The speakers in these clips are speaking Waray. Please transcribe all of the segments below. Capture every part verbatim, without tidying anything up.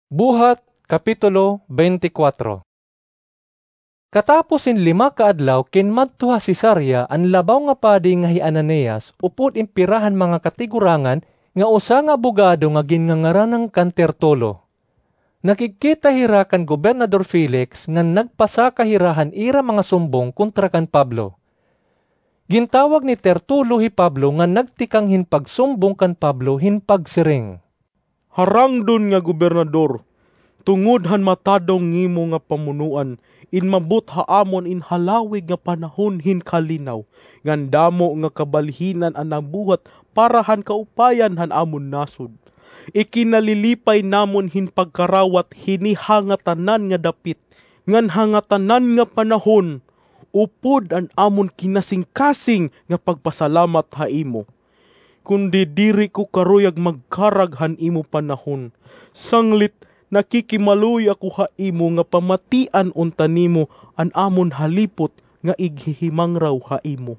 Buhat, Kapitulo twenty-four. Katapos hin lima ka adlaw kinmadto ha Cesarea an labaw nga padi nga hi Ananias upod in pira han mga katigurangan nga usa nga abogado nga ginngangaranan kan Tertulo. Nakigkita hira kan Gobernador Felix ngan nagpasaka hira han ira mga sumbong kontra kan Pablo. Gintawag ni Tertulo hi Pablo ngan nagtikang hin pagsumbong kan Pablo hin pagsiring, "Harangdon nga gobernador, tungod han matadong nimo nga pamunoan, inmabot ha amon in halawig nga panahon hin kalinaw, ngan damo nga kabalhinan an nabuhat para han kaupayan han amon nasod. Ikinalilipay namon hin pagkarawat hini ha ngatanan nga dapit, ngan ha ngatanan nga panahon, upod an amon kinasingkasing nga pagpasalamat ha imo. Kundi diri ko karuyag magkarag han imo panahon, sanglit nakikimaluoy ako ha imo nga pamatian unta nimo an amon halipot nga ighihimangraw ha imo.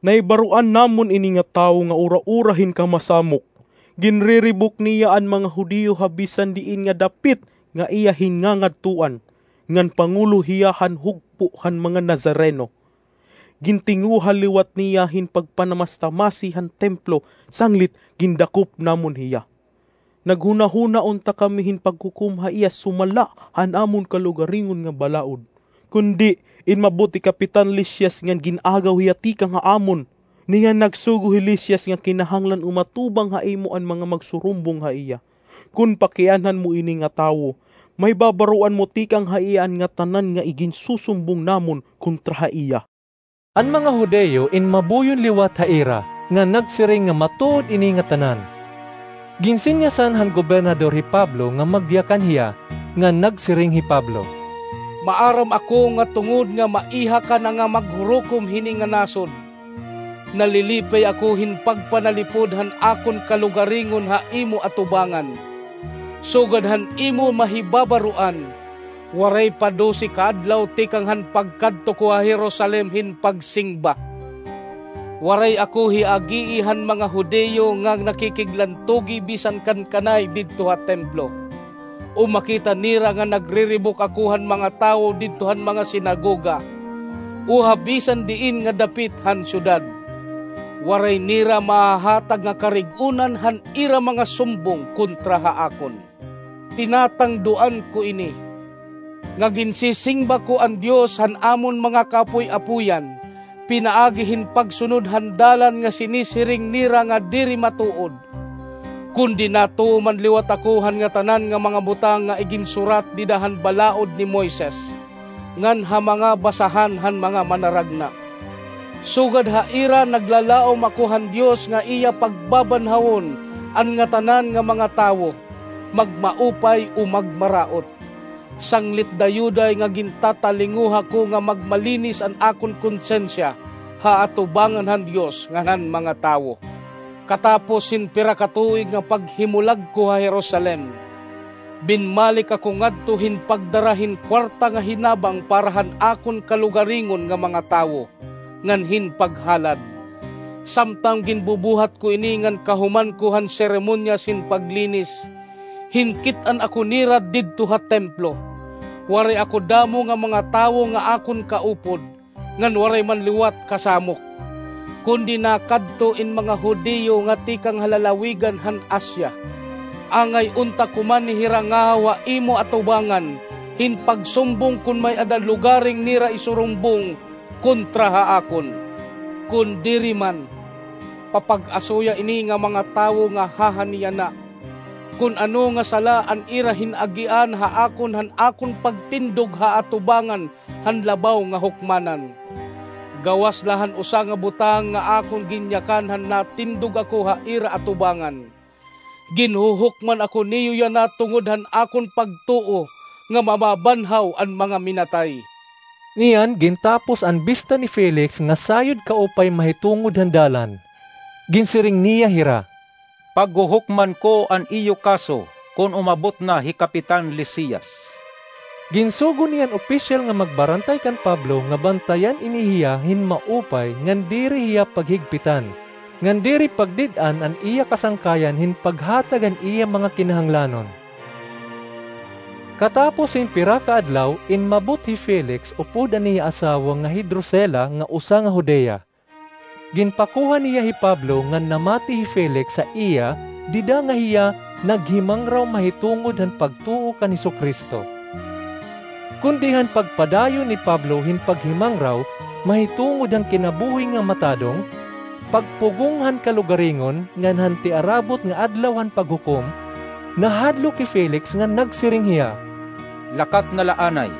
Nahibaroan namon ini nga tawo nga ura-ura hin kamasamok. Ginriribok niya an mga Judio ha bisan diin nga dapit nga iya hinngangadtuan, ngan pangulo hiya han hugpo han mga Nazareno. Gintinguha liwat niya hin pagpanamatamasi han templo, sanglit gindakop namon hiya. Naghunahuna unta kami hin paghukom ha iya sumala han amon kalugaringon nga balaod. Kundi inmabot hi Kapitan Lisias ngan gin-agaw hiya tikang ha amon. Niyan nagsugo hi Lisias nga kinahanglan umatubang ha imo an mga magsurumbong ha iya. Kon pakianhan mo ini nga tawo, mahibabaroan mo tikang ha iya an ngatanan nga iginsusumbong namon kontra ha iya." An mga Judio inmabuyon liwat ha ira, ngan nagsiring nga matuod ini ngatanan. Ginsinyasan han gobernador hi Pablo nga magyakan hiya, ngan nagsiring hi Pablo, "Maaram ako nga tungod nga maiha ka na nga maghurukom hini nga nasod, nalilipay ako hin pagpanalipod han akon kalugaringon ha imo atubangan. Sugad han imo mahibabaroan, waray pa dose ka adlaw tikang han pagkadto ko ha Jerusalem hin pagsingba. Waray ako hiagii han mga Judio nga nakikiglantugi bisan kan kanay didto ha templo. O makita nira nga nagriribok ako han mga tawo didto han mga sinagoga, o ha bisan diin nga dapit han syudad, waray nira mahahatag nga karig-onan han ira mga sumbong kontra ha akon. Tinatangduan ko ini, nga ginsisingba ko an Dios han amon mga kaapoy-apoyan, pinaagi hin pagsunod han dalan nga sinisiring nira nga diri matuod. Kundi natuo man liwat ako han ngatanan nga mga butang nga iginsurat dida han balaod ni Moises, ngan ha mga basahan han mga manaragna. Sugad ha ira naglalaom ako han Dios nga iya pagbabanhawon an ngatanan nga mga tawo, magmaupay o magmaraot. Sanglit dayuday nga gintatalinguha ko nga magmalinis an akon konsensiya ha atubangan han Dios ngan han mga tawo." Katapos hin pira ka tuig nga paghimulag ko ha Jerusalem, binmalik ako ngadto hin pagdara hin kwarta nga hinabang para han akon kalugaringon nga mga tawo, ngan hin paghalad. Samtang ginbubuhat ko ini ngan kahuman ko han seremonyas hin paglinis, hinkit-an ako nira didto ha templo. Waray ako damo nga mga tawo nga akon kaupod, ngan waray man liwat kasamok. Kundi nakadto in mga Judio nga tikang ha lalawigan han Asia. Angay unta ko man hirangahaw ha imo atubangan hin pagsumbong kon may-ada lugaring nira isurumbong kontra ha akon. Kon diri man, papag-asuya ini nga mga tawo nga hahaniyana, kon ano nga sala an ira hin-agian ha akon han akon pagtindog ha atubangan han labaw nga hukmanan. Gawas la han usa nga butang nga akon ginyakan han natindog ako ha ira atubangan. Ginhuhukman ako niyo yana tungod han akon pagtuo nga mababanhaw an mga minatay. Niyan gintapos an bista ni Felix nga sayod kaupay mahitungod han dalan. Ginsiring niya hira, "Paghuhukman ko an iyo kaso kon umabot na hi Kapitan Lisias." Ginsugo niya an opisyal nga magbarantay kan Pablo nga bantayan ini hiya hin maupay ngan diri hiya paghigpitan, ngan diri pagdid-an an iya kasangkayan hin paghatag han iya mga kinahanglanon. Katapos hin pira ka adlaw, inmabot hi Felix upod an iya asawa nga hi Drusila nga usa nga Judea. Ginpakuha niya hi Pablo ngan namati hi Felix ha iya dida nga hiya naghimangraw mahitungod han pagtuo kan Jesu-Cristo. Kundi han pagpadayon ni Pablo hin paghimangraw mahitungod han kinabuhi nga matadong, pagpugong han kalugaringon ngan han tiarabot nga adlaw han paghukom, nahadlok hi Felix ngan nagsiring hiya, "Lakat na la anay,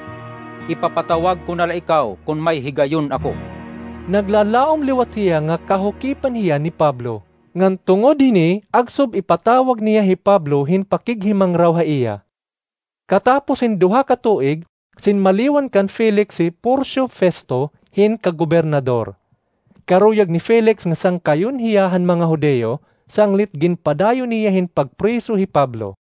ipapatawag ko na la ikaw kon may higayon ako." Naglalaom liwat hiya nga kahukipan hiya ni Pablo, ngan tungod hini agsob ipatawag niya hi Pablo hin pakighimangraw ha iya. Katapos hin duha ka tuig, sinmaliwan kan Felix hi Porcio Festo hin kagobernador. Karuyag ni Felix nga sangkayon hiya han mga Judio, sanglit ginpadayon niya hin pagpriso hi Pablo.